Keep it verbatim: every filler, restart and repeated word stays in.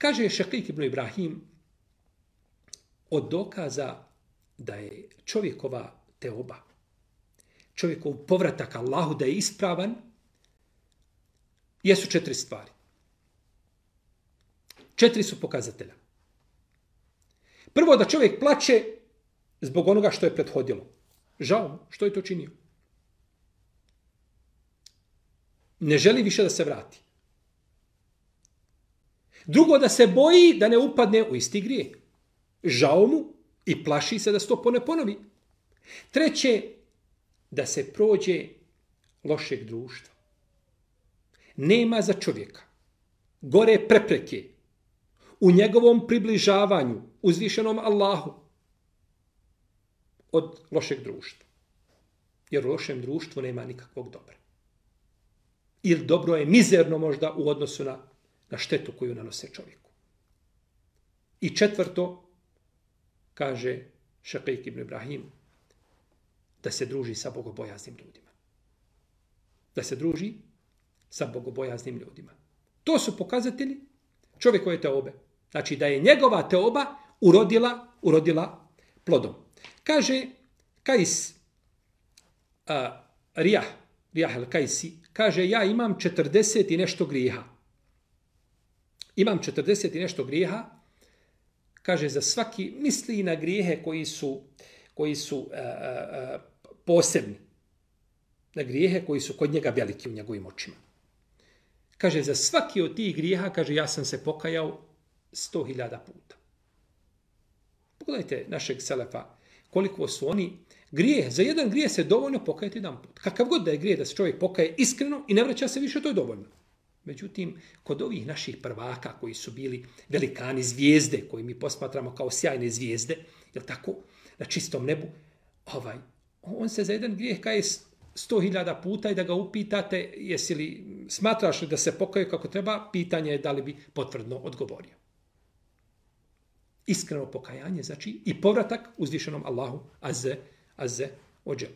Kaže Šakik ibn Ibrahim, od dokaza da je čovjekova teoba, čovjekov povratak Allahu da je ispravan, jesu četiri stvari. Četiri su pokazatelja. Prvo, da čovjek plače zbog onoga što je prethodilo. Žao mu, što je to činio. Ne želi više da se vrati. Drugo, da se boji da ne upadne u isti grijeh. Žao mu i plaši se da se to ne ponovi. Treće, da se prođe lošeg društva. Nema za čovjeka gore prepreke u njegovom približavanju uzvišenom Allahu od lošeg društva. Jer u lošem društvu nema nikakvog dobra. Ili dobro je mizerno možda u odnosu na, na štetu koju nanose čovjeku. I četvrto, kaže Šakik ibn Ibrahim, da se druži sa bogobojaznim ljudima. Da se druži sa bogobojaznim ljudima. To su pokazatelji čovjekove teobe. Znači da je njegova teoba urodila, urodila plodom. Kaže Kajs uh, Rijah, Rijah al-Kajsi, kaže ja imam četrdeset i nešto grijeha. Imam četrdeset i nešto grijeha. Kaže za svaki, misli na grijehe koji su, koji su uh, uh, posebni. Na grijehe koji su kod njega veliki u njegovim očima. Kaže, za svaki od tih grijeha, kaže, ja sam se pokajao sto hiljada puta. Pogledajte našeg selefa, koliko su oni grijeh. Za jedan grijeh se dovoljno pokajati jedan put. Kakav god da je grijeh da se čovjek pokaje iskreno i ne vraća se više, to je dovoljno. Međutim, kod ovih naših prvaka koji su bili velikani zvijezde, koji mi posmatramo kao sjajne zvijezde, jel tako, na čistom nebu, ovaj, on se za jedan grijeh kaje sto hiljada puta i da ga upitate jesi li, smatraš li da se pokaju kako treba, pitanje je da li bi potvrdno odgovorio. Iskreno pokajanje, znači i povratak uzvišenom Allahu azze, azze ođel.